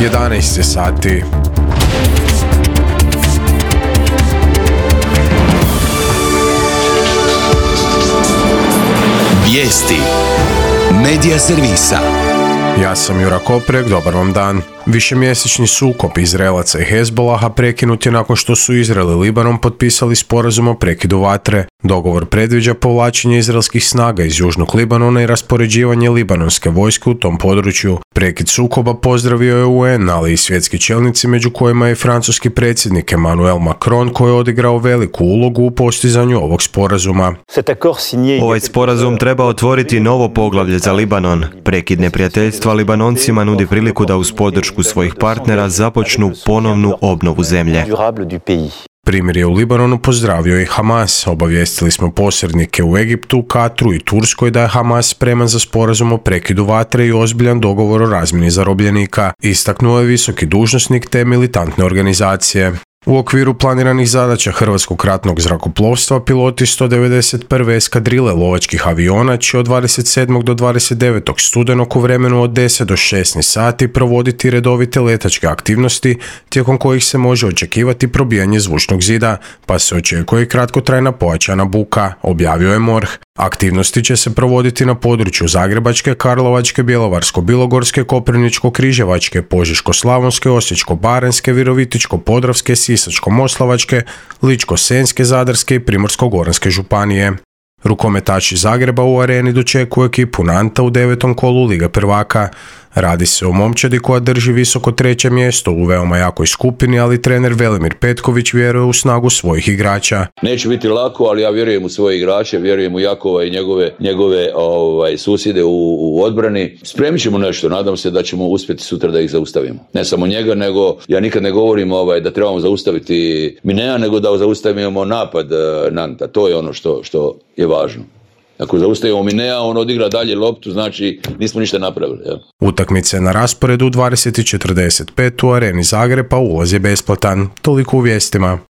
11 sati. Vijesti Medija servisa. Ja sam Jura Koprek, dobar vam dan. Višemjesečni sukob Izraelaca i Hezbolaha prekinut je nakon što su Izrael i Libanon potpisali sporazum o prekidu vatre. Dogovor predviđa povlačenje izraelskih snaga iz južnog Libanona i raspoređivanje libanonske vojske u tom području. Prekid sukoba pozdravio je UN, ali i svjetski čelnici, među kojima je francuski predsjednik Emmanuel Macron, koji je odigrao veliku ulogu u postizanju ovog sporazuma. Ovaj sporazum treba otvoriti novo poglavlje za Libanon. Prekid neprijateljstva Libanoncima nudi priliku da uz podršku svojih partnera započnu ponovnu obnovu zemlje. Primirje u Libanonu pozdravio i Hamas. Obavijestili smo posrednike u Egiptu, Katru i Turskoj da je Hamas spreman za sporazum o prekidu vatre i ozbiljan dogovor o razmjeni zarobljenika, istaknuo je visoki dužnosnik te militantne organizacije. U okviru planiranih zadaća Hrvatskog ratnog zrakoplovstva piloti 191. eskadrile lovačkih aviona će od 27. do 29. studenog u vremenu od 10 do 16 sati provoditi redovite letačke aktivnosti tijekom kojih se može očekivati probijanje zvučnog zida, pa se očekuje i kratkotrajna pojačana buka, objavio je MORH. Aktivnosti će se provoditi na području Zagrebačke, Karlovačke, Bjelovarsko-bilogorske, Koprivničko-križevačke, Požeško-slavonske, Osječko-baranjske, Virovitičko-podravske, Sisačko-moslavačke, Ličko-senjske, Zadarske i Primorsko-goranske županije. Rukometaši Zagreba u Areni dočekuju ekipu Nanta u 9. kolu Lige prvaka. Radi se o momčadi koja drži visoko 3. mjesto u veoma jakoj skupini, ali trener Velimir Petković vjeruje u snagu svojih igrača. Neće biti lako, ali ja vjerujem u svoje igrače, vjerujem u Jakova i njegove susjede u odbrani. Spremit ćemo nešto, nadam se da ćemo uspjeti sutra da ih zaustavimo. Ne samo njega, nego ja nikad ne govorim da trebamo zaustaviti Minea, nego da zaustavimo napad Nanta. To je ono što je važno. Ako zaustavimo Minea, on odigra dalje loptu, znači nismo ništa napravili. Ja. Utakmice na rasporedu 20:45 u Areni Zagreba, ulaz je besplatan. Toliko u vijestima.